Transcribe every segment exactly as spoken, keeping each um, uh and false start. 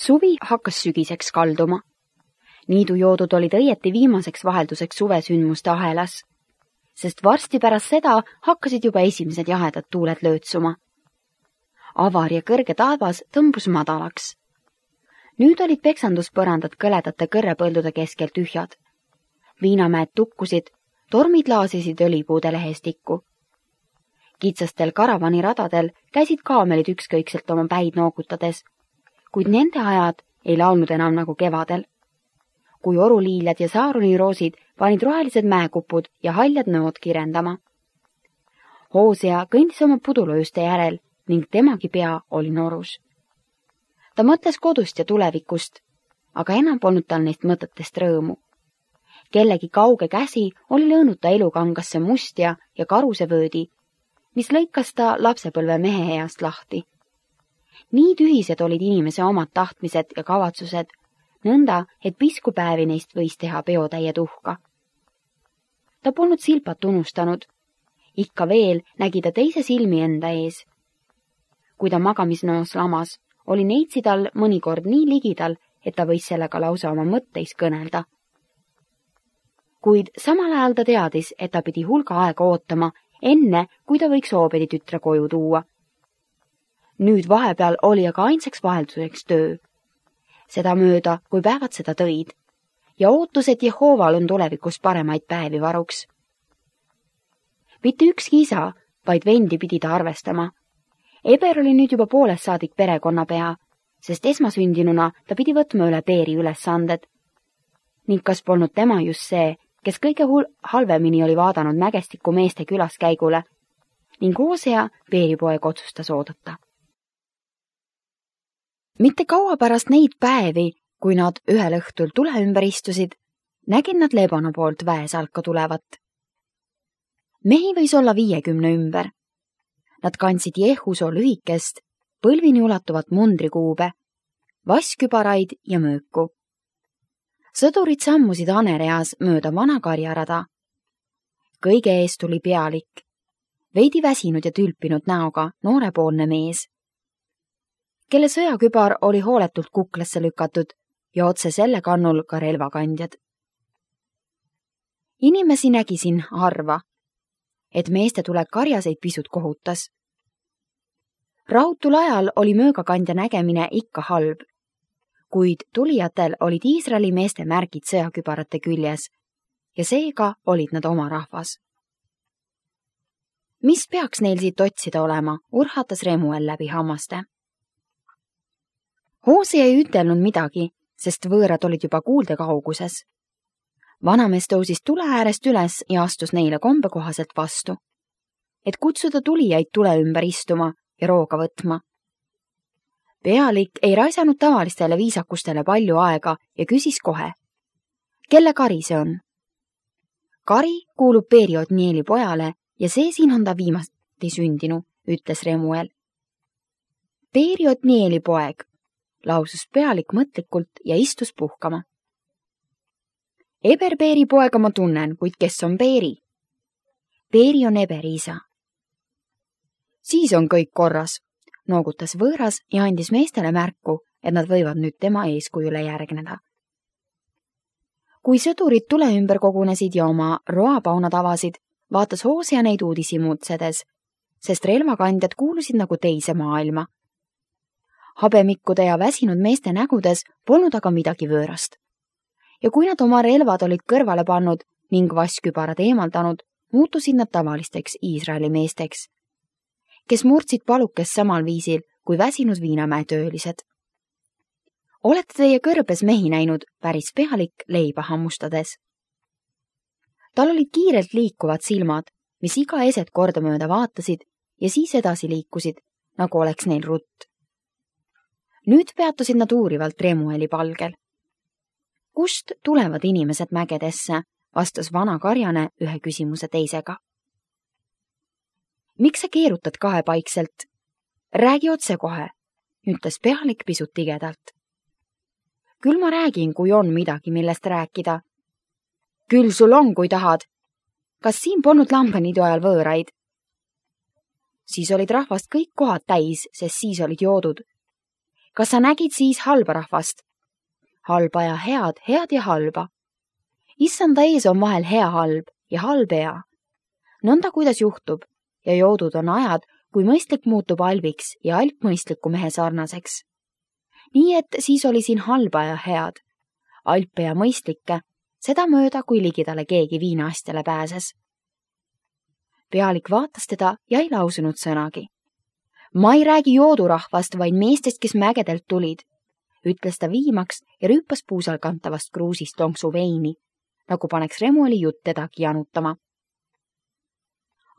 Suvi hakkas sügiseks kalduma. Niidujoodud olid õieti viimaseks vahelduseks suvesündmuste ahelas, sest varsti pärast seda hakkasid juba esimesed jahedad tuuled löötsuma. Avar ja kõrge taevas tõmbus madalaks. Nüüd olid peksanduspõrandad kõledate kõrrepõldude keskel tühjad. Viinamäed tukkusid, tormid laasisid õlipuude lehestikku. Kitsastel karavaniradadel käisid kaamelid ükskõikselt oma päid noogutades, kuid nende ajad ei laulnud enam nagu kevadel. Kui oruliiljad ja saaruniroosid panid rohelised mäekupud ja haljad nõod kirendama. Hoosea kõndis oma pudulojuste järel ning temagi pea oli norus. Ta mõtles kodust ja tulevikust, aga enam polnud tal neist mõtetest rõõmu. Kellegi kauge käsi oli lõõnud ta elukangasse mustja ja karusevöödi, mis lõikas ta lapsepõlve mehe east lahti. Nii tühised olid inimese omad tahtmised ja kavatsused, nõnda, et piskupäevi neist võis teha peotäie tuhka. Ta polnud silpat unustanud. Ikka veel nägi ta teise silmi enda ees. Kui ta magamisnoos lamas, oli neitsi tal mõnikord nii ligidal, et ta võis sellega lausa oma mõtteis kõnelda. Kuid samal ajal ta teadis, et ta pidi hulga aega ootama, enne kui ta võiks hoobedi tütre koju tuua. Nüüd vahepeal oli aga ainsaks vahelduseks töö. Seda mööda, kui päevad seda tõid, ja ootus, et Jehooval on tulevikus paremaid päevi varuks. Mitte ükski isa, vaid vendi pidi ta arvestama. Eber oli nüüd juba poolest saadik perekonnapea, sest esmasündinuna ta pidi võtma üle Peeri ülesanded. Ning kas polnud tema just see, kes kõige hul- halvemini oli vaadanud mägestiku meeste külaskäigule, ning Hoosea Peeripoeg otsustas oodata. Mitte kaua pärast neid päevi, kui nad ühel õhtul tule ümber istusid, nägid nad Lebana poolt väesalka tulevat. Mehi võis olla viiekümne ümber. Nad kandsid Jehusoo lühikest, põlvini ulatuvat mundrikuube, vasskübaraid ja mööku. Sõdurid sammusid hanereas mööda vana karjarada. Kõige ees tuli pealik, veidi väsinud ja tülpinud näoga noorepoolne mees, kelle sõjakübar oli hooletult kuklasse lükatud ja otse selle kannul ka relvakandjad. Inimesi nägi siin harva, et meeste tulek karjaseid pisut kohutas. Rahutul ajal oli möögakandja nägemine ikka halb, kuid tulijatel olid Iisraeli meeste märgid sõjakübarate küljes ja seega olid nad oma rahvas. Mis peaks neil siit otsida olema, urhatas Remuel läbi hammaste. Hoosea ei ütelnud midagi, sest võõrad olid juba kuulde kauguses. Vanamees tõusis tule äärest üles ja astus neile kombekohaselt vastu, et kutsuda tulijaid tule ümber istuma ja rooga võtma. Pealik ei raisanud tavalistele viisakustele palju aega ja küsis kohe, kelle kari see on? Kari kuulub Peeri Otnieli pojale ja see siin on ta viimasti sündinu, ütles Remuel. Peeri Otnieli poeg, lausus pealik mõtlikult ja istus puhkama. Eber Peeri poega ma tunnen, kuid kes on Peeri? Peeri on Eberi isa. Siis on kõik korras, noogutas võõras ja andis meestele märku, et nad võivad nüüd tema eeskujule järgneda. Kui sõdurid tule ümber kogunesid ja oma roapaunad avasid, vaatas Hoosea neid uudisi muutsedes, sest relvakandjad kuulusid nagu teise maailma. Habemikkude ja väsinud meeste nägudes polnud aga midagi võõrast. Ja kui nad oma relvad olid kõrvale pannud ning vasskübarad eemaldanud, muutusid nad tavalisteks Iisraeli meesteks, kes murdsid palukest samal viisil kui väsinud Viinamäe töölised. Olete teie kõrbes mehi näinud, päris pealik leiba hammustades. Tal olid kiirelt liikuvad silmad, mis iga eset kordamööda vaatasid ja siis edasi liikusid, nagu oleks neil rutt. Nüüd peatusid nad uurivalt Remueli palgel. Kust tulevad inimesed mägedesse, vastas vana karjane ühe küsimuse teisega. Miks sa keerutad kahepaikselt? Räägi otse kohe, ütles pealik pisut tigedalt. Küll ma räägin, kui on midagi, millest rääkida. Küll sul on, kui tahad. Kas siin polnud lambaniidu ajal võõraid? Siis olid rahvast kõik kohad täis, sest siis olid joodud. kas sa nägid siis halba rahvast? Halba ja head, head ja halba. Issanda ees on vahel hea halb ja halb hea. Nõnda kuidas juhtub ja joodud on ajad, kui mõistlik muutub albiks ja alp mõistliku mehe sarnaseks. Nii et siis oli siin halba ja head, alpe ja mõistlikke, seda mööda, kui ligidale keegi viinaastjale pääses. Pealik vaatas teda ja ei lausunud sõnagi. Ma ei räägi joodurahvast, vaid meestest, kes mägedelt tulid, ütles ta viimaks ja rüüpas puusal kantavast kruusist lonksu veini, nagu paneks Remueli jutt tedagi janutama.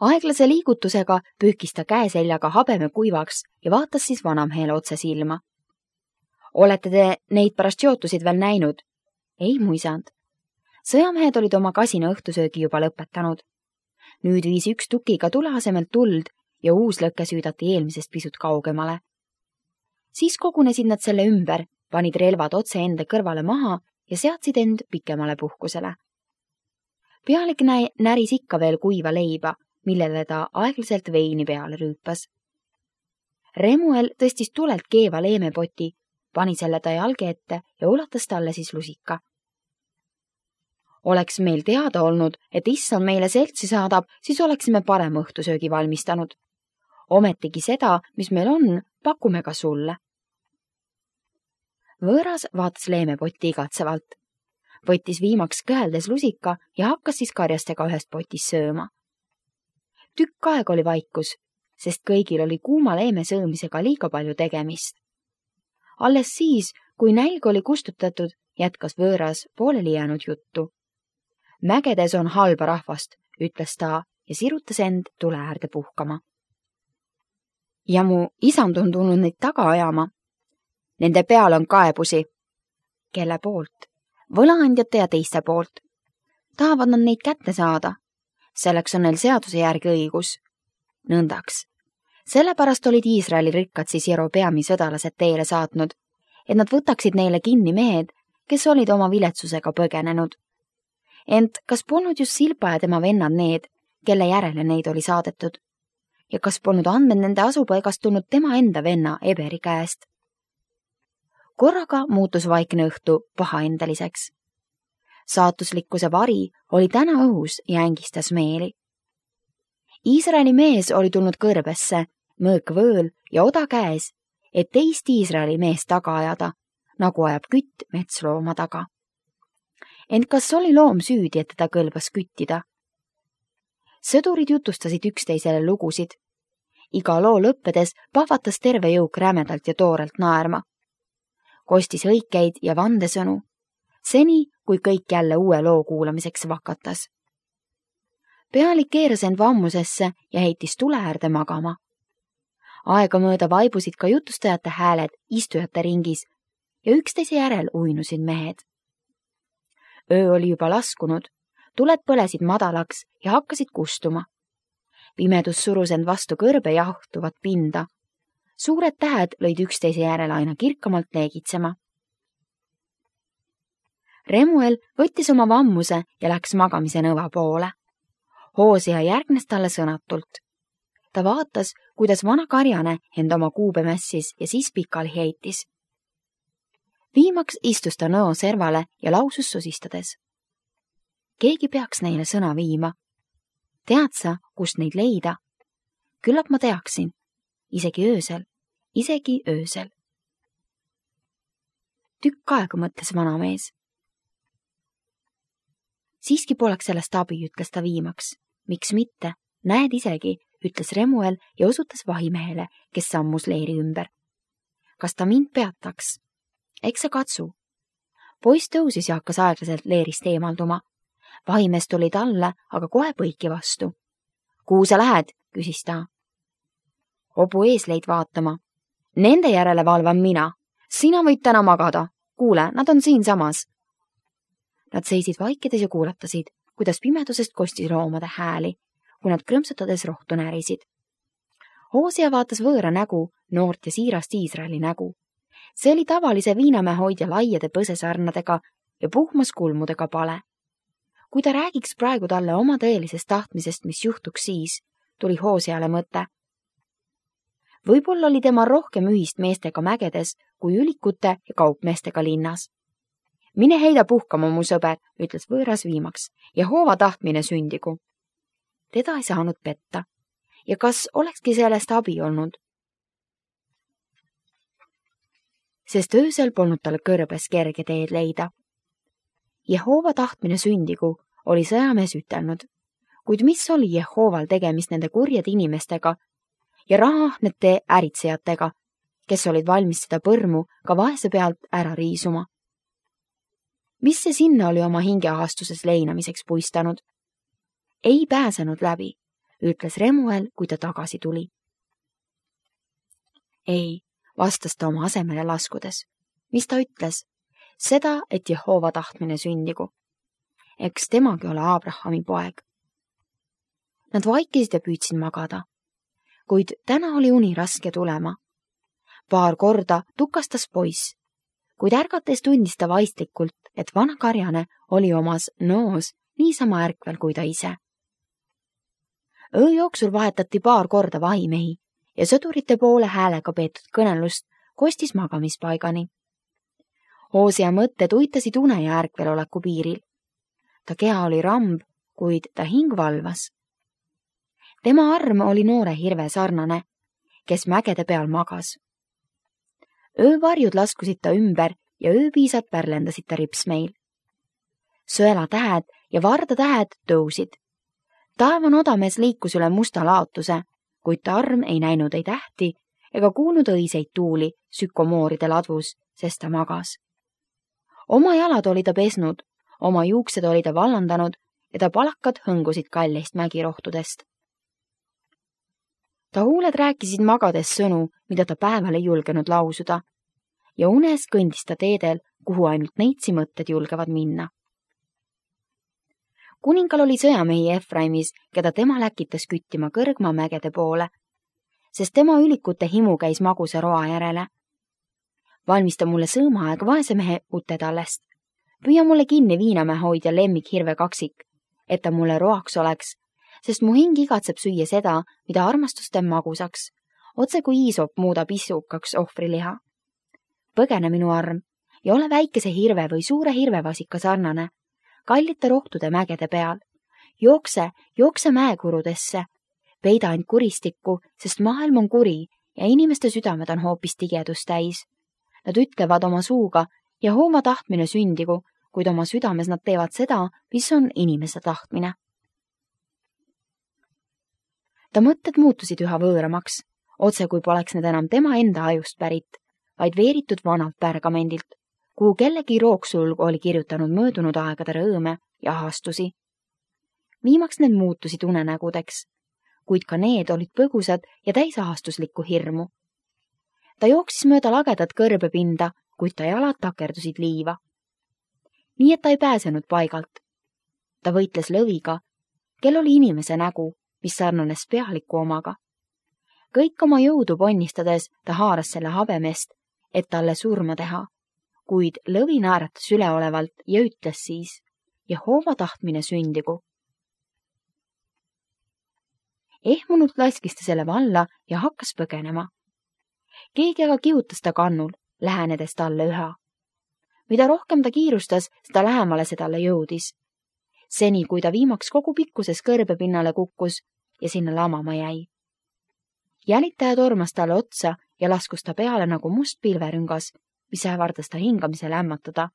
Aeglase liigutusega pühkis ta käeseljaga habeme kuivaks ja vaatas siis vanamehele otse silma. Olete te neid pärast jootusid veel näinud? Ei, mu isand. Sõjamehed olid oma kasina õhtusöögi juba lõpetanud. Nüüd viis üks tukiga tule asemelt tuld ja uus lõkke süüdati eelmisest pisut kaugemale. Siis kogunesid nad selle ümber, panid relvad otse enda kõrvale maha ja seadsid end pikemale puhkusele. Pealik nä näris ikka veel kuiva leiba, millele ta aeglaselt veini peale rüüpas. Remuel tõstis tulelt keeva leemepoti, pani selle ta jalge ette ja ulatas talle siis lusika. Oleks meil teada olnud, et issand meile seltsi saadab, siis oleksime parem õhtusöögi valmistanud. Ometigi seda, mis meil on, pakume ka sulle. Võõras vaatas leemepotti igatsevalt. Võttis viimaks kõheldes lusika ja hakkas siis karjastega ühest potis sööma. Tükk aeg oli vaikus, sest kõigil oli kuuma leeme söömisega liiga palju tegemist. Alles siis, kui nälg oli kustutatud, jätkas võõras pooleli jäänud juttu. Mägedes on halba rahvast, ütles ta ja sirutas end tule äärde puhkama. Ja mu isand on tulnud neid taga ajama. Nende peal on kaebusi. Kelle poolt? Võlaandjate ja teiste poolt. Tahavad nad neid kätte saada. Selleks on neil seaduse järgi õigus. Nõndaks. Sellepärast olid Iisraeli rikkad siis Jerobeami sõdalased teele saatnud, et nad võtaksid neile kinni mehed, kes olid oma viletsusega põgenenud. Ent kas polnud just Silpa ja tema vennad need, kelle järele neid oli saadetud? Ja kas polnud andmed nende asupaigast tulnud tema enda venna Eberi käest? Korraga muutus vaikne õhtu pahaendeliseks. Saatuslikkuse vari oli täna õhus ja ängistas meeli. Iisraeli mees oli tulnud kõrbesse, mõõk võõl ja oda käes, et teist Iisraeli meest taga ajada, nagu ajab kütt metslooma taga. Ent kas oli loom süüdi, et teda kõlbas küttida? Sõdurid jutustasid üksteisele lugusid. Iga loo lõppedes pahvatas terve jõuk rämedalt ja toorelt naerma. Kostis õikeid ja vandesõnu, seni kui kõik jälle uue loo kuulamiseks vakatas. Pealik keeras end vammusesse ja heitis tule äärde magama. Aega mööda vaibusid ka jutustajate hääled istujate ringis ja üksteise järel uinusid mehed. Öö oli juba laskunud, tuled põlesid madalaks ja hakkasid kustuma. Pimedus surus end vastu kõrbe jahtuvat pinda. Suured tähed lõid üksteise järel aina kirkamalt leegitsema. Remuel võttis oma vammuse ja läks magamise nõva poole. Hoosea järgnes talle sõnatult. Ta vaatas, kuidas vana karjane end oma kuube mässis ja siis pikali heitis. Viimaks istus ta nõo servale ja lausus sosistades. Keegi peaks neile sõna viima. Tead sa, kust neid leida? Küllap ma teaksin. Isegi öösel. Isegi öösel. Tükk aega mõtles vanamees. Siiski poleks sellest abi, ütles ta viimaks. Miks mitte? Näed isegi, ütles Remuel ja osutas vahimehele, kes sammus leeri ümber. Kas ta mind peataks? Eks sa katsu. Poiss tõusis ja hakkas aeglaselt leerist eemalduma. Vahimees tuli talle, aga kohe põiki vastu. Kuhu sa lähed? Küsis ta. Hobu eesleid vaatama. Nende järele valvan mina. Sina võid täna magada. Kuule, nad on siin samas. Nad seisid vaikides ja kuulatasid, kuidas pimedusest kostis loomade hääli, kui nad krõmsutades rohtu närisid. Hoosea vaatas võõra nägu, noort ja siirast Iisraeli nägu. See oli tavalise viinamäe hoidja laiade põsesarnadega ja puhmas kulmudega pale. Kui ta räägiks praegu talle oma tõelisest tahtmisest, mis juhtuks siis, tuli Hooseale mõte. Võib-olla oli tema rohkem ühist meestega mägedes kui ülikute ja kaupmeestega linnas. Mine heida puhkama, mu sõber, ütles võõras viimaks, ja hoova tahtmine sündigu. Teda ei saanud petta. Ja kas olekski sellest abi olnud? Sest öösel polnud tal kõrbes kerge teed leida. Jehova tahtmine sündigu oli sõjamees ütelnud, kuid mis oli Jehoval tegemist nende kurjade inimestega ja rahahnete äritsejatega, kes olid valmis seda põrmu ka vaese pealt ära riisuma. Mis see sinna oli oma hingeahastuses leinamiseks puistanud? Ei pääsenud läbi, ütles Remuel, kui ta tagasi tuli. Ei, vastas ta oma asemele laskudes. Mis ta ütles? Seda, et Jehova tahtmine sündigu. Eks temagi ole Abrahami poeg. Nad vaikisid ja püüdsid magada. Kuid täna oli uni raske tulema. Paar korda tukastas poiss, kuid ärgates tundis ta vaistlikult, et vana karjane oli omas noos niisama ärkvel kui ta ise. Öö jooksul vahetati paar korda vahimehi ja sõdurite poole häälega peetud kõnelust kostis magamispaigani. Hoosia mõtted uitasid une ja ärkveloleku piiril. Ta keha oli ramb, kuid ta hing valvas. Tema arm oli noore hirve sarnane, kes mägede peal magas. Öövarjud laskusid ta ümber ja ööpiisad pärlendasid ta ripsmeil. Sõela tähed ja varda tähed tõusid. Taevan odamees liikus üle musta laotuse, kuid ta arm ei näinud ei tähti ega kuulnud õiseid tuuli sükomooride ladvus, sest ta magas. Oma jalad oli ta pesnud, oma juuksed oli ta vallandanud ja ta palakad hõngusid kalleist mägirohtudest. Ta huuled rääkisid magades sõnu, mida ta päeval ei julgenud lausuda, ja unes kõndis ta teedel, kuhu ainult neitsi mõtted julgevad minna. Kuningal oli sõjamehi Efraimis, keda tema läkitas küttima kõrgma mägede poole, sest tema ülikute himu käis magusa roa järele. Valmista mulle sõõmaaeg vaese mehe utetallest. Püüa mulle kinni Viinamäe hoidja lemmik hirve kaksik, et ta mulle roaks oleks, sest mu hing igatseb süüa seda, mida armastus teeb magusaks, otse kui Iisop muudab isukaks ohvriliha. Põgene minu arm ja ole väikese hirve või suure hirvevasika sarnane, kallite rohtude mägede peal. Jookse, jookse mäekurudesse, peida end kuristikku, sest maailm on kuri ja inimeste südamed on hoopis tigedust täis. Nad ütlevad oma suuga ja hooma tahtmine sündigu, kuid oma südames nad teevad seda, mis on inimese tahtmine. Ta mõtted muutusid üha võõramaks, otse kui poleks need enam tema enda ajust pärit, vaid veeritud vanalt pärgamendilt, kuhu kellegi rooksulg oli kirjutanud möödunud aegade rõõme ja ahastusi. Viimaks need muutusid unenägudeks, kuid ka need olid põgusad ja täisahastuslikku hirmu. Ta jooksis mööda lagedat kõrbepinda, kuid ta jalad takerdusid liiva. Nii et ta ei pääsenud paigalt. Ta võitles lõviga, kel oli inimese nägu, mis sarnanes pealiku omaga. Kõik oma jõudu ponnistades ta haaras selle habemest, et talle surma teha, kuid lõvi naeratas üleolevalt ja ütles siis, Jehova tahtmine sündigu. Ehmunult laskis ta selle valla ja hakkas põgenema. Keegi aga kihutas ta kannul, lähenedes talle üha. Mida rohkem ta kiirustas, seda lähemale see talle jõudis. Seni, kui ta viimaks kogu pikkuses kõrbepinnale kukkus ja sinna lamama jäi. Jälitaja tormas talle otsa ja laskus ta peale nagu must pilverüngas, mis ähvardas ta hingamise lämmatada.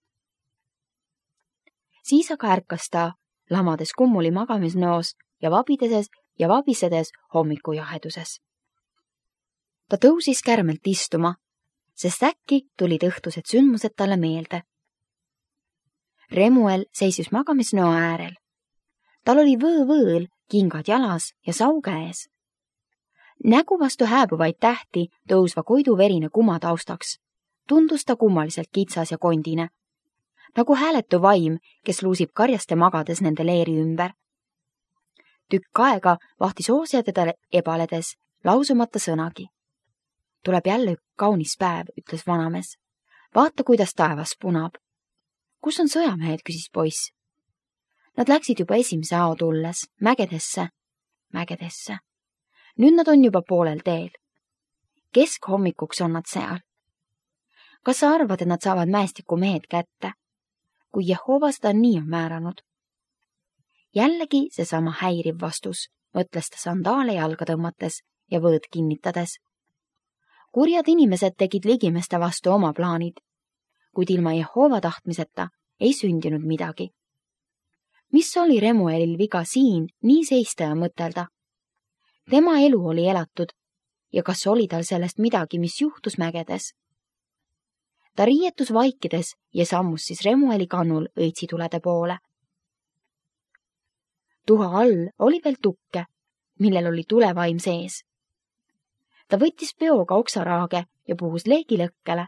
Siis aga ärkas ta, lamades kummuli magamisnõos ja vabideses ja vabisedes hommiku jaheduses. Ta tõusis kärmelt istuma, sest äkki tulid õhtused sündmused talle meelde. Remuel seisis magamisnõo äärel. Tal oli võõvõõl, kingad jalas ja sau käes. Nägu vastu hääbuvaid tähti tõusva koidu verine kuma taustaks. Tundus ta kummaliselt kitsas ja kondine. Nagu hääletu vaim, kes luusib karjaste magades nende leeri ümber. Tükk aega vahtis Hoosia teda ebaledes, lausumata sõnagi. Tuleb jälle ük kaunis päev, ütles vanamees. Vaata, kuidas taevas punab. Kus on sõjamehed, küsis poiss. Nad läksid juba esimese ao tulles, mägedesse, mägedesse. Nüüd nad on juba poolel teel. Keskhommikuks on nad seal. Kas sa arvad, et nad saavad mäestiku mehed kätte, kui Jehova seda nii on määranud? Jällegi seesama häiriv vastus, mõtles ta sandaale jalga tõmmates ja võõd kinnitades. Kurjad inimesed tegid ligimeste vastu oma plaanid, kuid ilma Jehova tahtmiseta ei sündinud midagi. Mis oli Remuelil viga siin nii seista ja mõtelda? Tema elu oli elatud ja kas oli tal sellest midagi, mis juhtus mägedes? Ta riietus vaikides ja sammus siis Remueli kannul õitsitulede poole. Tuha all oli veel tukke, millel oli tulevaim sees. Ta võttis peoga oksaraage ja puhus leegi lõkkele.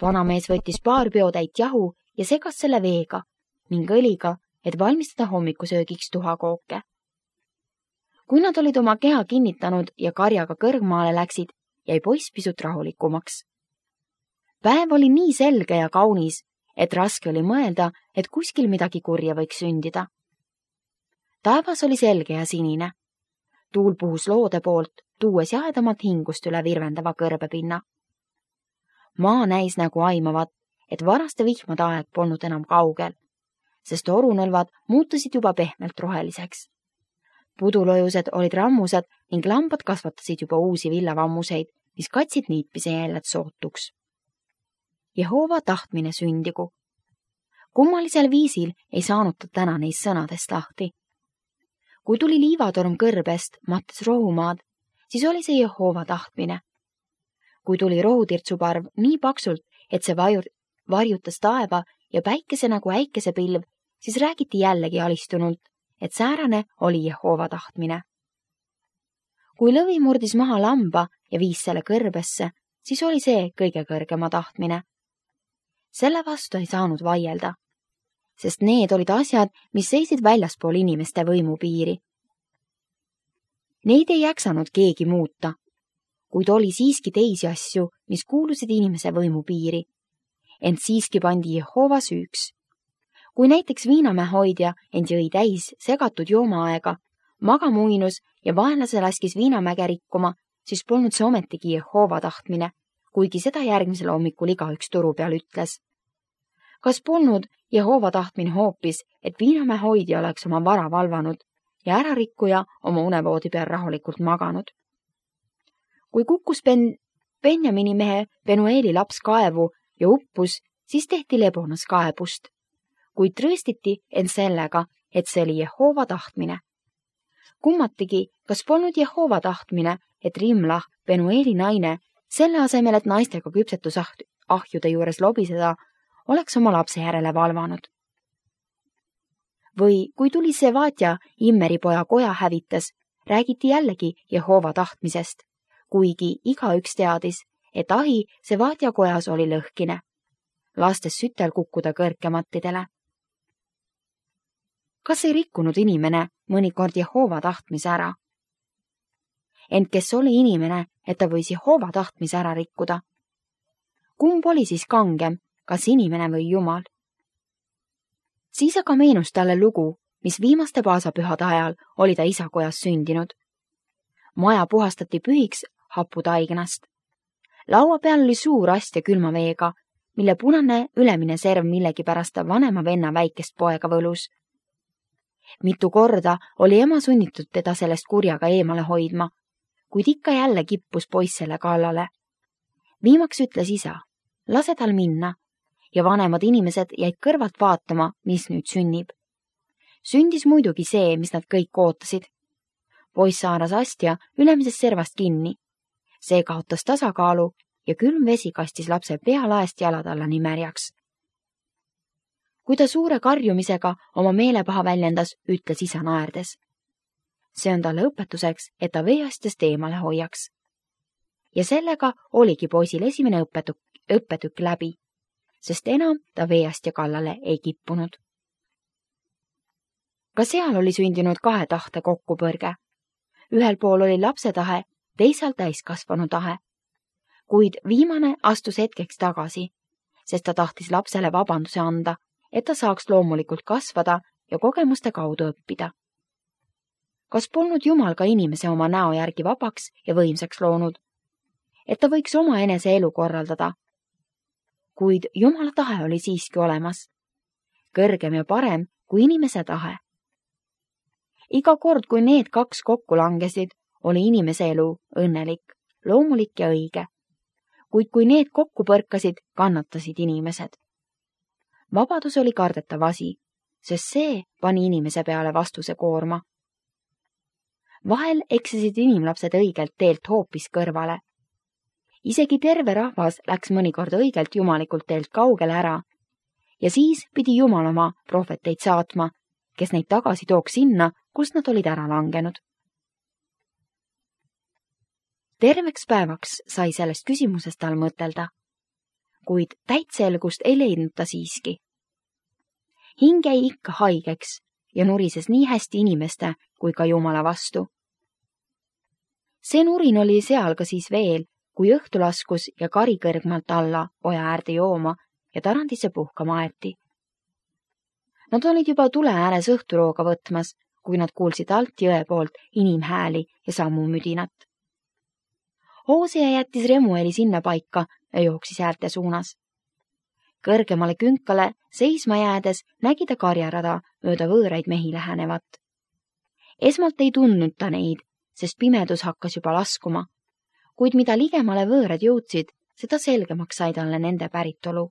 Vanamees võttis paar peotäit jahu ja segas selle veega ning õliga, et valmistada hommikusöögiks tuhakooke. Kui nad olid oma keha kinnitanud ja karjaga kõrgmaale läksid, jäi poiss pisut rahulikumaks. Päev oli nii selge ja kaunis, et raske oli mõelda, et kuskil midagi kurja võiks sündida. Taevas oli selge ja sinine. Tuul puhus loode poolt, tuues jahedamat hingust üle virvendava kõrbepinna. Maa näis nagu aimavat, et varaste vihmade aeg polnud enam kaugel, sest orunõlvad muutusid juba pehmelt roheliseks. Pudulojused olid rammused ning lambad kasvatasid juba uusi villavammuseid, mis katsid niitmise jäljed sootuks. Jehova tahtmine sündigu. Kummalisel viisil ei saanud ta täna neist sõnadest lahti. Kui tuli liivatorm kõrbest, mattes rohumaad, siis oli see Jehova tahtmine. Kui tuli rohutirtsuparv nii paksult, et see vajur, varjutas taeva ja päikese nagu äikesepilv, siis räägiti jällegi alistunult, et säärane oli Jehova tahtmine. Kui lõvi murdis maha lamba ja viis selle kõrbesse, siis oli see kõige kõrgema tahtmine. Selle vastu ei saanud vaielda, sest need olid asjad, mis seisid väljaspool inimeste võimupiiri. Neid ei jäksanud keegi muuta, kuid oli siiski teisi asju, mis kuulusid inimese võimupiiri. Ent siiski pandi Jehova süüks. Kui näiteks viinamäe hoidja end jõi täis segatud joomaaega, magama uinus ja vaenlase laskis viinamäge rikkuma, siis polnud see ometigi Jehova tahtmine, kuigi seda järgmisel hommikul igaüks turu peal ütles. Kas polnud Jehova tahtmine hoopis, et viinamäe hoidja oleks oma vara valvanud ja ärarikkuja oma unevoodi peal rahulikult maganud? Kui kukkus Ben, Benjamini mehe Penueli laps kaevu ja uppus, siis tehti lebonas kaebust, kuid trööstiti end sellega, et see oli Jehova tahtmine. Kummatigi, kas polnud Jehova tahtmine, et Rimlah, Penueli naine, selle asemel, et naistega küpsetusahjude juures lobiseda, oleks oma lapse järele valvanud. Või kui tuli Sevatja Immeri poja koja hävitas, räägiti jällegi Jehova tahtmisest, kuigi igaüks teadis, et ahi Sevatja kojas oli lõhkine, lastes sütel kukkuda kõrkemattidele. Kas ei rikkunud inimene mõnikord Jehova tahtmise ära? Ent kes oli inimene, et ta võis Jehova tahtmise ära rikkuda? Kumb oli siis kangem, kas inimene või Jumal? Siis aga meenus talle lugu, mis viimaste paasapühade ajal oli ta isakojas sündinud. Maja puhastati pühiks haputaignast. Laua peal oli suur astja külma veega, mille punane ülemine serv millegipärast ta vanema venna väikest poega võlus. Mitu korda oli ema sunnitud teda sellest kurjaga eemale hoidma, kuid ikka jälle kippus poiss selle kallale. Viimaks ütles isa, lase tal minna, ja vanemad inimesed jäid kõrvalt vaatama, mis nüüd sünnib. Sündis muidugi see, mis nad kõik ootasid. Poiss haaras astja ülemisest servast kinni. See kaotas tasakaalu ja külm vesi kastis lapse pea laest jalad alla nii märjaks. Kui ta suure karjumisega oma meelepaha väljendas, ütles isa naerdes. See on talle õpetuseks, et ta veeastjast eemale hoiaks. Ja sellega oligi poisil esimene õpetük, õppetükk läbi, sest enam ta veeastja kallale ei kippunud. Ka seal oli sündinud kahe tahte kokkupõrge. Ühel pool oli lapse tahe, teisal täiskasvanu tahe. Kuid viimane astus hetkeks tagasi, sest ta tahtis lapsele vabanduse anda, et ta saaks loomulikult kasvada ja kogemuste kaudu õppida. Kas polnud Jumal ka inimese oma näo järgi vabaks ja võimsaks loonud, et ta võiks oma enese elu korraldada, kuid Jumala tahe oli siiski olemas. Kõrgem ja parem kui inimese tahe. Iga kord, kui need kaks kokku langesid, oli inimese elu õnnelik, loomulik ja õige. Kuid kui need kokku põrkasid, kannatasid inimesed. Vabadus oli kardetav asi, sest see pani inimese peale vastuse koorma. Vahel eksisid inimlapsed õigelt teelt hoopis kõrvale. Isegi terve rahvas läks mõnikord õigelt jumalikult teelt kaugele ära ja siis pidi Jumal oma prohveteid saatma, kes neid tagasi tooks sinna, kust nad olid ära langenud. Terveks päevaks sai sellest küsimusest tal mõtelda, kuid täitselgust ei leidnud ta siiski. Hing jäi ikka haigeks ja nurises nii hästi inimeste kui ka Jumala vastu. See nurin oli seal ka siis veel, kui õhtu laskus ja kari kõrgmalt alla oja äärde jooma ja tarandisse puhkama aeti. Nad olid juba tule ääres õhturooga võtmas, kui nad kuulsid alt jõe poolt inimhääli ja sammu müdinat. Hoosea jättis Remueli sinna paika ja jooksis äälte suunas. Kõrgemale künkale seisma jäädes nägi ta karjarada mööda võõraid mehi lähenevat. Esmalt ei tundnud ta neid, sest pimedus hakkas juba laskuma, kuid mida ligemale võõrad jõudsid, seda selgemaks sai talle nende päritolu.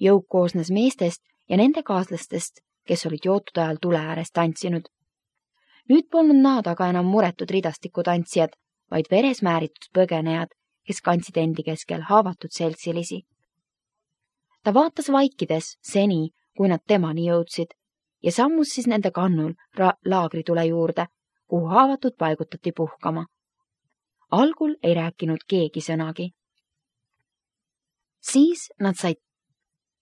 Jõuk koosnes meestest ja nende kaaslastest, kes olid jootud ajal tule ääres tantsinud. Nüüd polnud nad aga enam muretud ridastiku-tantsijad, vaid veres määritud põgenejad, kes kandsid endi keskel haavatud seltsilisi. Ta vaatas vaikides seni, kui nad temani jõudsid ja sammus siis nende kannul laagritule juurde, kuhu haavatud paigutati puhkama. Algul ei rääkinud keegi sõnagi. Siis nad said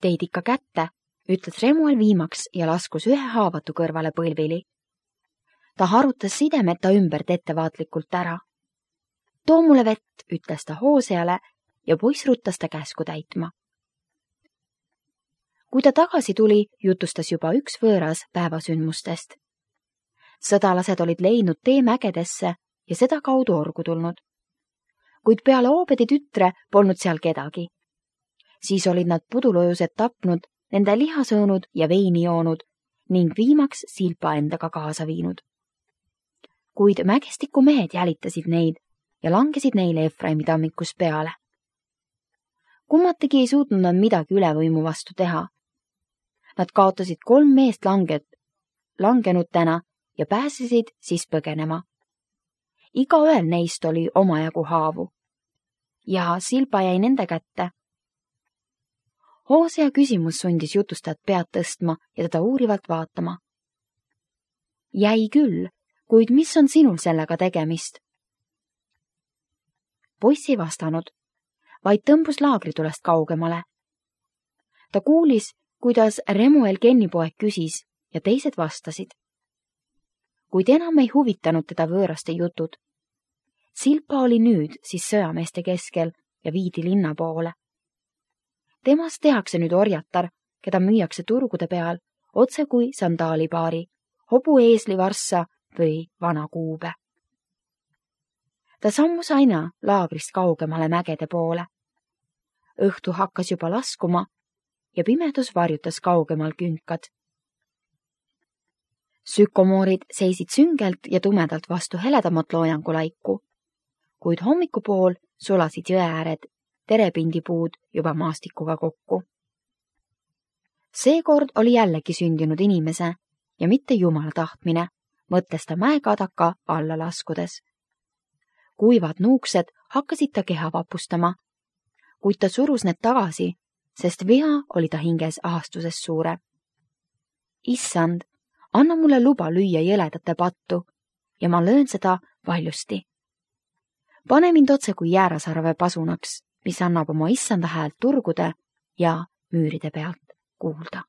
teid ikka kätte, ütles Remuel viimaks ja laskus ühe haavatu kõrvale põlvili. Ta harutas sidemeta ümbert ettevaatlikult ära. Too mulle vett, ütles ta Hooseale ja poiss ruttas ta käsku täitma. Kui ta tagasi tuli, jutustas juba üks võõras päevasündmustest. Sõdalased olid leidnud tee mägedesse ja seda kaudu orgu tulnud. Kuid peale Oobedi tütre polnud seal kedagi. Siis olid nad pudulojused tapnud, nende liha söönud ja veini joonud ning viimaks Silpa endaga kaasa viinud. Kuid mägestiku mehed jälitasid neid ja langesid neile Efraimi tammikus peale. Kummategi ei suutnud nad midagi ülevõimu vastu teha. Nad kaotasid kolm meest langet, langenud täna ja pääsesid siis põgenema. Igaühel neist oli omajagu haavu. Ja Silpa jäi nende kätte. Hoosea küsimus sundis jutustajat pead tõstma ja teda uurivalt vaatama. Jäi küll, kuid mis on sinul sellega tegemist? Poiss ei vastanud, vaid tõmbus laagritulest kaugemale. Ta kuulis, kuidas Remuel Kennipoeg küsis ja teised vastasid. Kuid enam ei huvitanud teda võõraste jutud. Silpa oli nüüd siis sõjameeste keskel ja viidi linna poole. Temast tehakse nüüd orjatar, keda müüakse turgude peal, otse kui sandaalipaari, hobu eeslivarssa või vana kuube. Ta sammus aina laagrist kaugemale mägede poole. Õhtu hakkas juba laskuma ja pimedus varjutas kaugemal künkad. Sükomoorid seisid süngelt ja tumedalt vastu heledamat loojangulaiku, kuid hommikupool sulasid jõeääred terepindipuud juba maastikuga kokku. Seekord oli jällegi sündinud inimese ja mitte Jumala tahtmine, mõtles ta mäekadaka alla laskudes. Kuivad nuuksed hakkasid ta keha vapustama, kuid ta surus need tagasi, sest viha oli ta hinges ahastuses suure. Issand, anna mulle luba lüüa jõledate pattu ja ma löön seda valjusti. Pane mind otse kui jäärasarve pasunaks, mis annab oma issanda häält turgude ja müüride pealt kuulda.